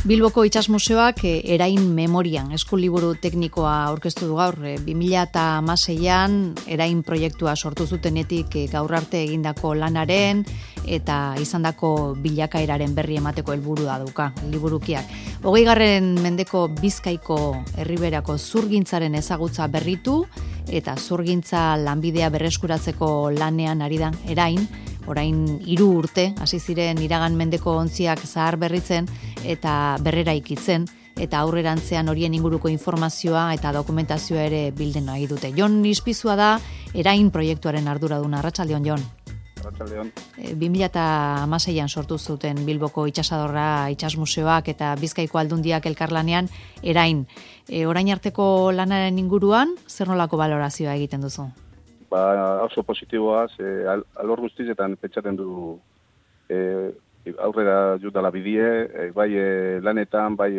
Bilboko Itsas Museoak Erain Memorian eskuliburu teknikoa aurkeztu du gaur. 2016an Erain proiektua sortu zutenetik gaur arte egindako lanaren eta izandako bilakaeraren berri emateko helburua dauka liburukiak. 20. mendeko Bizkaiko herriberako zurgintzaren ezagutza berritu eta zurgintza lanbidea berreskuratzeko lanean ari da Erain. Orain 3 urte hasi ziren iragan mendeko ontziak zahar berritzen eta berreraikitzen eta aurrerantzean horien inguruko informazioa eta dokumentazioa ere bilden nahi dute. Jon Ispizua da Erain proiektuaren arduraduna. Arratsaldeon, Jon. Arratsaldeon. 2016an sortu zuten Bilboko Itsasadorra Itsas Museoak eta Bizkaiko Aldundiak elkarlanean Erain. Orain arteko lanaren inguruan zer nolako balorazioa egiten duzu? Oso positiboa, alor guztietan pentsatzen du aurrera jutala bidie, bai lanetan, bai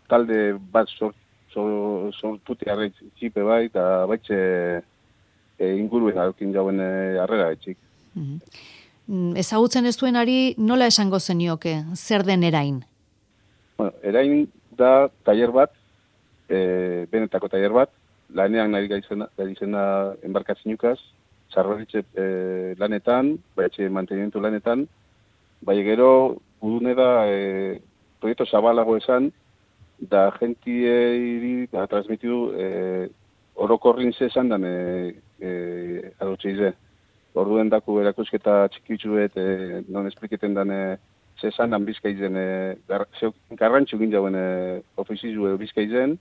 talde bat sortutearra txipe bai, eta baitxe inguruen alkin jauen arrera etxik. Ezagutzen ez duenari nola esango zenioke, zer den Erain? Bueno, Erain da taller bat, benetako taller bat, lanean nahi gaizena enbarkatzinukaz, sarraritze lanetan, baietxe mantenimentu lanetan, bai gero gudune da proiektu zabalago esan, da gentiei transmitidu orokorrin zezan dan adotxeize. Orduen daku erakusketa txikitzuet non espliketen dan zezan dan bizkaizen, garrantxu gindauen ofizizu bizkaizen,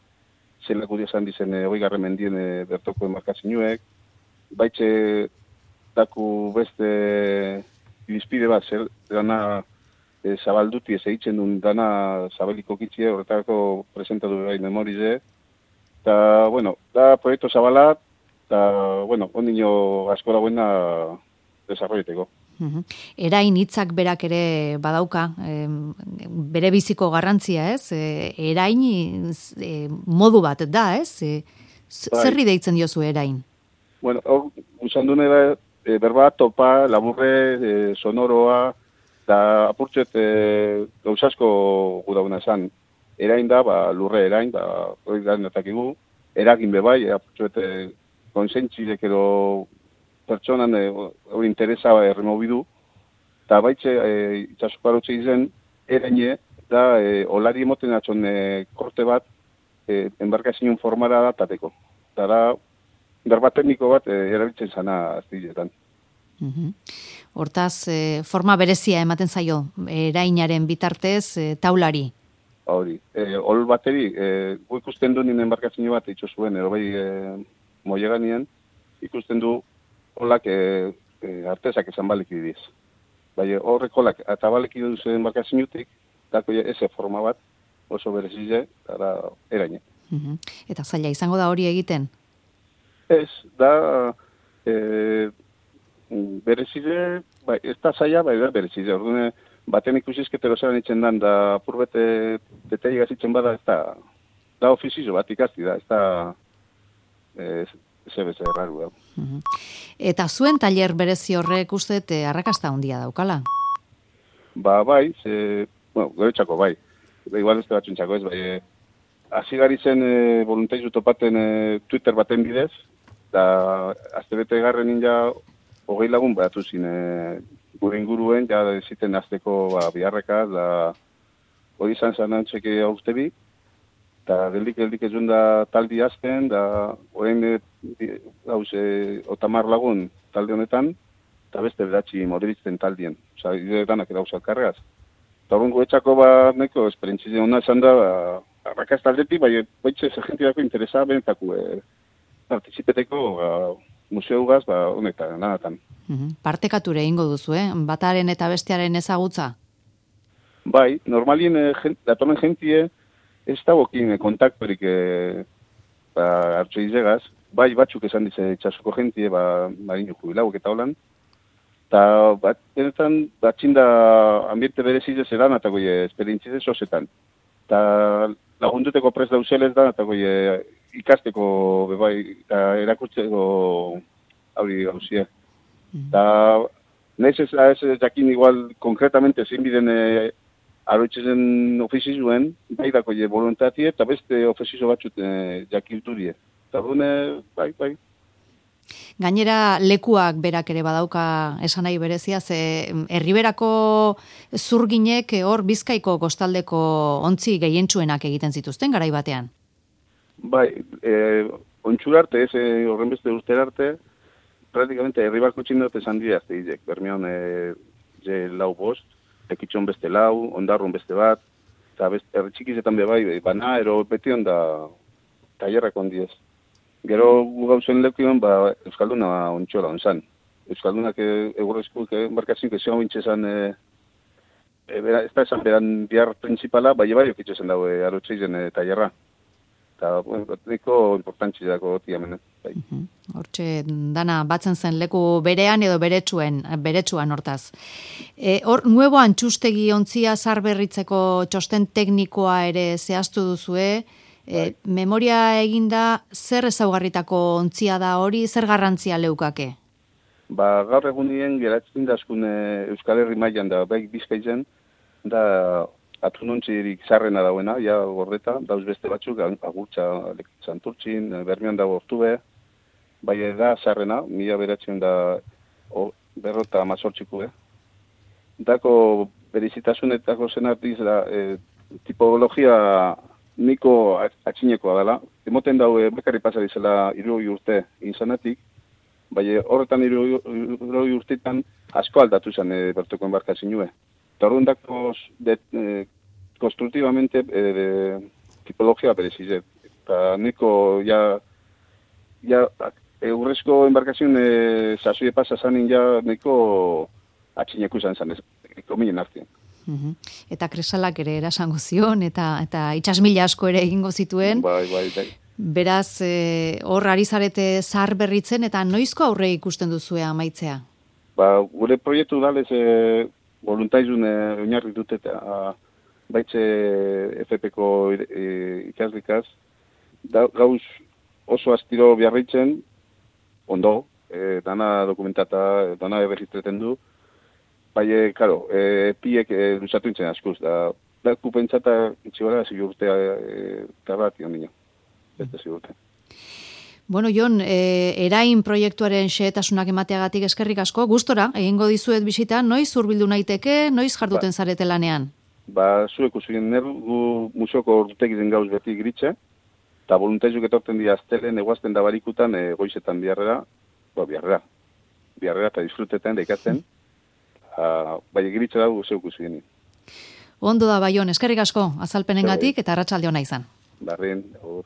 zelako diazan dizen 20. mendien bertoko enmarkatzinuek, baitxe daku beste irizpide bat, zer dana zabalduti ez egiten duen dana zabaliko kitzie, horretako presentatu Erain Memorize, eta, bueno, da proiektu zabalat, eta, bueno, ondino asko dagoena desarroieteko. Erain hitzak berak ere badauka, bere biziko garrantzia, ez? Erain modu bat da, ez? Zerri deitzen diozu Erain? Bueno, hor, usan dune da, berba, topa, laburre, sonoroa, eta apurtxet gauzasko gudauna esan. Erain da, lurre Erain, hori da netakigu, eragin bebai, apurtxet konsentzilek edo pertsonan hori interesa erremobidu, eta baitxe itxasoko arotxe izen, eraine, da olari emoten atxon korte bat enbarkazioen formara da tateko. Eta da, berba tekniko bat erabiltzen zana aztiletan. Hortaz, forma berezia ematen zaio, Erainaren bitartez taulari? Hori, ol bateri, gu ikusten du nien enbarkazio bat itxo zuen, bai moieganien, ikusten du holak artezak esan baleki diz. Bai, horrek holak eta baleki duzen enbarkaziotik, dako eze forma bat, oso berezize, eta Eraine. Eta zaila izango da hori egiten? Ez, da berezize, bai, ez da zaila, bai da berezize. Orduan, baten ikusizketero zelan itzen dan, da purbete detei gazitzen bada, ez da ofizizo bat ikasti da, ez da zebeze erraru da. Eta zuen tailer berezi horrek uste arrakasta handia daukala? Bai, goretxako bai. Igual ez batxuntxako ez, bai. Azigari zen voluntaizu topaten Twitter baten bidez, eta aztebete garren ninja 20 lagun behatu zin gure inguruen, ja ziten azteko biharrekaz, da hori izan zanantzeke aurtebi, eta geldik ez duen da taldi azten, da horrein otamar lagun talde honetan, eta beste beratzi moderitzen taldien. Osa, danak dauz alkarregaz. Eta horren goetxako neko esperientzizien hona esan da, arrakaz taldetik, baitxe zergentirako interesa benetako partizipeteko museugaz honetan, nanatan. Partekature egingo duzu, bataren eta bestearen ezagutza? Bai, normalien datorren jentie ez dagokin kontaktorik hartzo izegaz, bai batzuk esan dize itxasoko jentie, marino jubilauek eta holan, eta benetan batxinda ambiente berezizez edan, eta goie esperientzizez sosetan. Eta lagunduteko prest dauzelez da, eta goie ikasteko bebai, eta erakurtzeko hori gauzie. Eta nahiz ez jakin igual konkretamente zein biden aroitzen ofizizuen, baidako voluntatie, eta beste ofizizo batzut jakiltu die. Eta bai. Gainera lekuak berak ere badauka esan nahi berezia, ze herriberako zurginek hor Bizkaiko kostaldeko ontzi gehientsuenak egiten zituzten garai batean. Bai, ontxura arte, horren beste urtera arte, praktikamente herribarko txindot esan dira azte hizek. Bermeon lau bost, ekitxon beste lau, ondarrun beste bat, eta erritxikizetan bai, bana, ero beti onda tailerrak ondiez. Gero gu gauzen lekuan, Euskalduna ontxola onzan. Euskaldunak egurrezkuek embarkazioak esan bintxezan, ez da esan beran bihar principala, bai okitxezen dago arotxeizen tailerra. Eta, niko importantzi dago tiamen. Hortxe, dana, batzen zen leku berean edo beretsuan hortaz. Hor, nuevo antxustegi ontzia zarberritzeko txosten teknikoa ere zehaztu duzue, memoria eginda zer ezaugarritako ontzia da hori, zer garrantzia leukake? Gaur egunien geratzen dazkun Euskal Herri mailan da, bai Bizkaitzen, da atunontzirik zarrena dauena, ja gordeta, dauz beste batzuk, agurtza Santurtzin, Bermeon dago Ortube, bai da zarrena, 1950 Dako berizitasunetako zenartiz da, tipologia niko atxinekoa dela. Emoten dau bekarri pasarizela 60 urte inzanatik, bai horretan 60 urtetan asko aldatu zen bertoko embarkazinue. Eta horren dako konstruktibamente tipologia berezizet. Eta niko eurrezko embarkazioen sasoi pasa zanin niko atxineku zen kominen artean. Eta kresalak ere erasango zion, eta itxasmila asko ere egingo zituen. Bai. Beraz, hor ari zarete zahar berritzen, eta noizko aurre ikusten duzue amaitzea? Gure proiektu dalez voluntaizun oinarri dut eta baitze FP-ko ikaslikaz. Gauz oso astiro biarritzen, ondo, dana dokumentata, dana berritreten du. Bai, karo, piek duzatu intzen askuz, da kupentzata itxibara zigurtea tarrati ondino, beste zigurtea. Bueno, Jon, erain proiektuaren xehetasunak emateagatik eskerrik asko, gustora, egingo dizuet bisita, noiz hurbildu naiteke, noiz jarduten zarete lanean? Zuek usuen gu museoko urtegiten gauz beti gritxe, eta voluntaizuk etorten dira aztelen, eguazten da barikutan, goizetan biarrera eta disfrutetan da ikatzen, bai egiritza dago zeuk usuen. Ondo da, Jon, eskerrik asko, azalpenengatik eta arratsalde ona izan. Barren, hor.